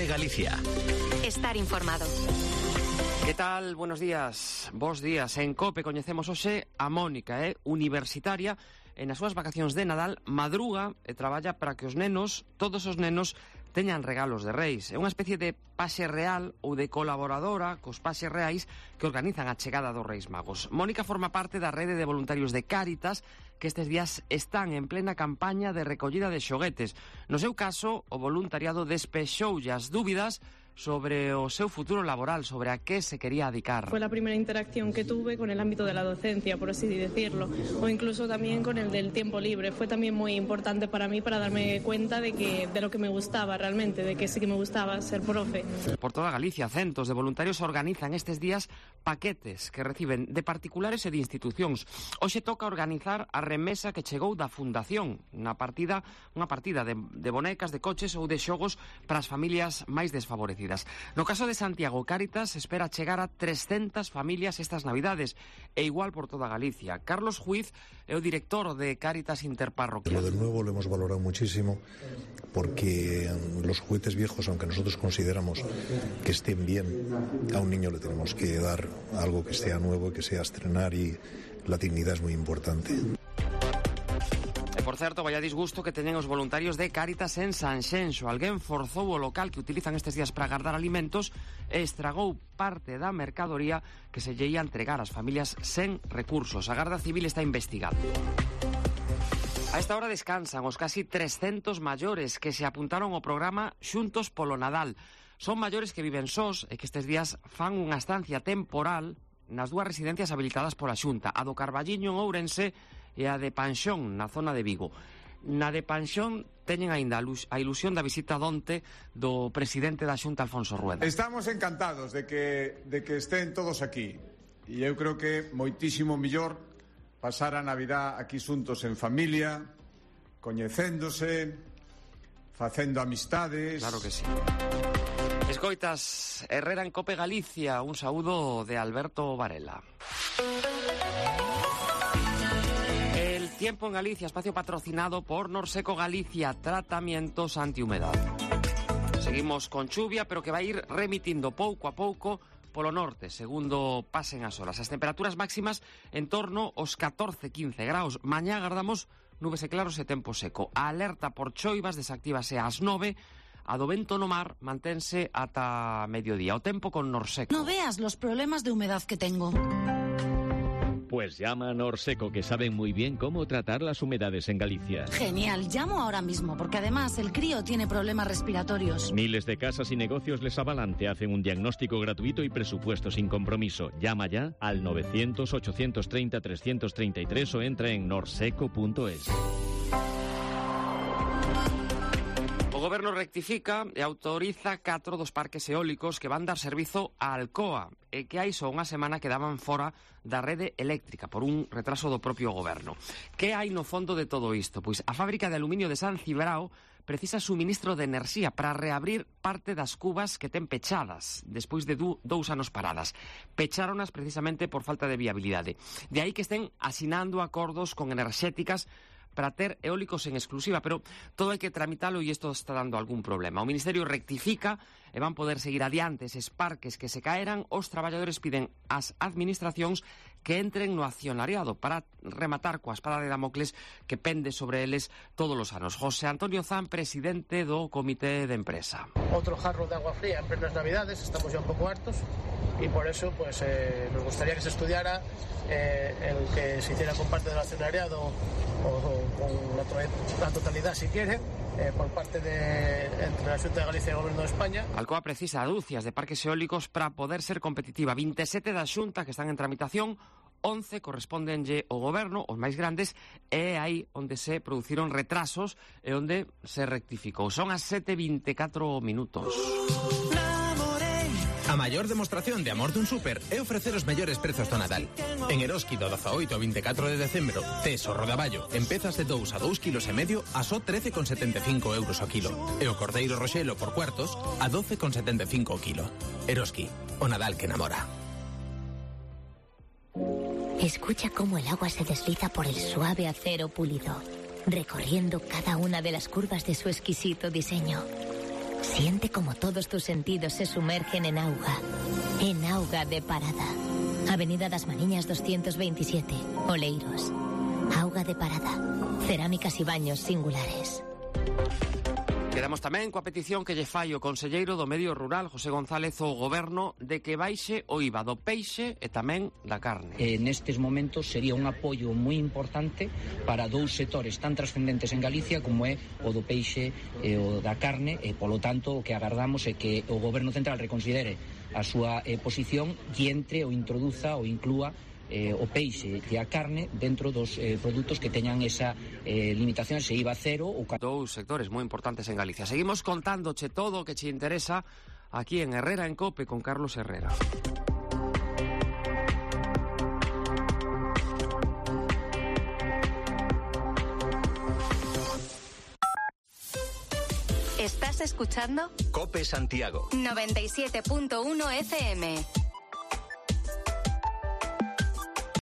Galicia. Estar informado. Que tal? Buenos días. Bos días. En COPE coñecemos hoxe a Mónica, universitaria, e nas súas vacacións de Nadal madruga e traballa para que os nenos, todos os nenos, teñan regalos de reis. É unha especie de paxe real ou de colaboradora cos paxes reais que organizan a chegada dos Reis Magos. Mónica forma parte da rede de voluntarios de Cáritas que estes días están en plena campaña de recollida de xoguetes. No seu caso, o voluntariado despexoulle as dúbidas sobre o seu futuro laboral, sobre a qué se quería dedicar. Fue la primera interacción que tuve con el ámbito de la docencia, por así decirlo, o incluso también con el del tiempo libre. Fue también muy importante para mí para darme cuenta de lo que me gustaba realmente, de que sí que me gustaba ser profe. Por toda Galicia, centos de voluntarios organizan estes días paquetes que reciben de particulares e de institucións. Hoxe toca organizar a remesa que chegou da Fundación, unha partida de bonecas, de coches ou de xogos para as familias máis desfavorecidas. No caso de Santiago, Cáritas espera chegar a 300 familias estas Navidades, e igual por toda Galicia. Carlos Juiz é o director de Cáritas Interparroquial. Lo del nuevo lo hemos valorado muchísimo porque los juguetes viejos, aunque nosotros consideramos que estén bien, a un niño le tenemos que dar algo que sea nuevo, que sea estrenar, y la dignidad es muy importante. Por certo, vaya disgusto que teñen os voluntarios de Cáritas en Sanxenxo. Alguén forzou o local que utilizan estes días para guardar alimentos e estragou parte da mercadoría que se lle ia entregar ás familias sen recursos. A Garda Civil está investigando. A esta hora descansan os casi 300 maiores que se apuntaron ao programa Xuntos polo Nadal. Son maiores que viven sós e que estes días fan unha estancia temporal nas dúas residencias habilitadas pola Xunta, a do Carballiño en Ourense e a de Panxón, na zona de Vigo. Na de Panxón teñen aínda a ilusión da visita onte do presidente da Xunta, Alfonso Rueda. Estamos encantados de que estén todos aquí. E eu creo que moitísimo mellor pasar a Navidad aquí xuntos en familia, coñecéndose, facendo amistades. Claro que sí. Escoitas, Herrera en Cope Galicia, un saúdo de Alberto Varela. El tiempo en Galicia, espacio patrocinado por Norseco Galicia, tratamientos antihumedad. Seguimos con chuvia, pero que vai ir remitindo pouco a pouco polo norte, segundo pasen as horas. As temperaturas máximas en torno aos 14-15 graus. Mañá agardamos nubes e claros e tempo seco. A alerta por choivas desactívase ás 9. A do vento no mar mantense ata mediodía. O tempo con Norseco. No veas los problemas de humedad que tengo. Pues llama a Norseco, que saben muy bien cómo tratar las humedades en Galicia. Genial, llamo ahora mismo, porque además el crío tiene problemas respiratorios. Miles de casas y negocios les avalan, te hacen un diagnóstico gratuito y presupuesto sin compromiso. Llama ya al 900-830-333 o entra en norseco.es. O Goberno rectifica e autoriza 4 dos parques eólicos que van dar servizo a Alcoa e que hai só unha semana quedaban fora da rede eléctrica por un retraso do propio Goberno. Que hai no fondo de todo isto? Pois a fábrica de aluminio de San Cibrao precisa suministro de enerxía para reabrir parte das cubas que ten pechadas despois de 2 anos paradas. Pecháronas precisamente por falta de viabilidade. De aí que estén asinando acordos con enerxéticas para ter eólicos en exclusiva, pero todo hai que tramitalo e isto está dando algún problema. O Ministerio rectifica e van poder seguir adiante eses parques que se caeran. Os traballadores piden ás administracións que entren no accionariado para rematar coa espada de Damocles que pende sobre eles todos os anos. José Antonio Zan, presidente do Comité de Empresa. Otro jarro de agua fría en plenas Navidades, estamos ya un pouco hartos y por eso pues nos gustaría que se estudiara el que se hiciera con parte del accionariado o con la totalidad si quiere por parte entre la Xunta de Galicia e o Goberno de España. Alcoa precisa dúcias de parques eólicos para poder ser competitiva. 27 da Xunta que están en tramitación, 11 correspóndenlle ao Goberno, os máis grandes, e aí onde se produciron retrasos e onde se rectificou. Son as 7:24 minutos. A maior demostración de amor dun súper é ofrecer os mellores prezos do Nadal. En Eroski do 18 ao 24 de decembro, tes o rodaballo en pezas de 2 a 2,5 kg a só 13,75 euros o kilo. E o cordeiro roxelo por cuartos a 12,75 o kilo. Eroski, o Nadal que enamora. Escucha cómo el agua se desliza por el suave acero pulido, recorriendo cada una de las curvas de su exquisito diseño. Siente como todos tus sentidos se sumergen en auga de Parada. Avenida das Mariñas 227, Oleiros. Auga de Parada, cerámicas e baños singulares. Quedamos tamén coa petición que lle fai o conselleiro do Medio Rural, José González, ao Goberno, de que baixe o IVA do peixe e tamén da carne. Nestes momentos sería un apoio moi importante para dous sectores tan trascendentes en Galicia como é o do peixe e o da carne, e polo tanto o que agardamos é que o Goberno Central reconsidere a súa posición e entre ou introduza ou inclúa o peixe e a carne dentro dos produtos que teñan esa limitación, ese IVA cero. Dous sectores moi importantes en Galicia. Seguimos contándoche todo o que che interesa aquí en Herrera en Cope con Carlos Herrera. ¿Estás escuchando? Cope Santiago 97.1 FM.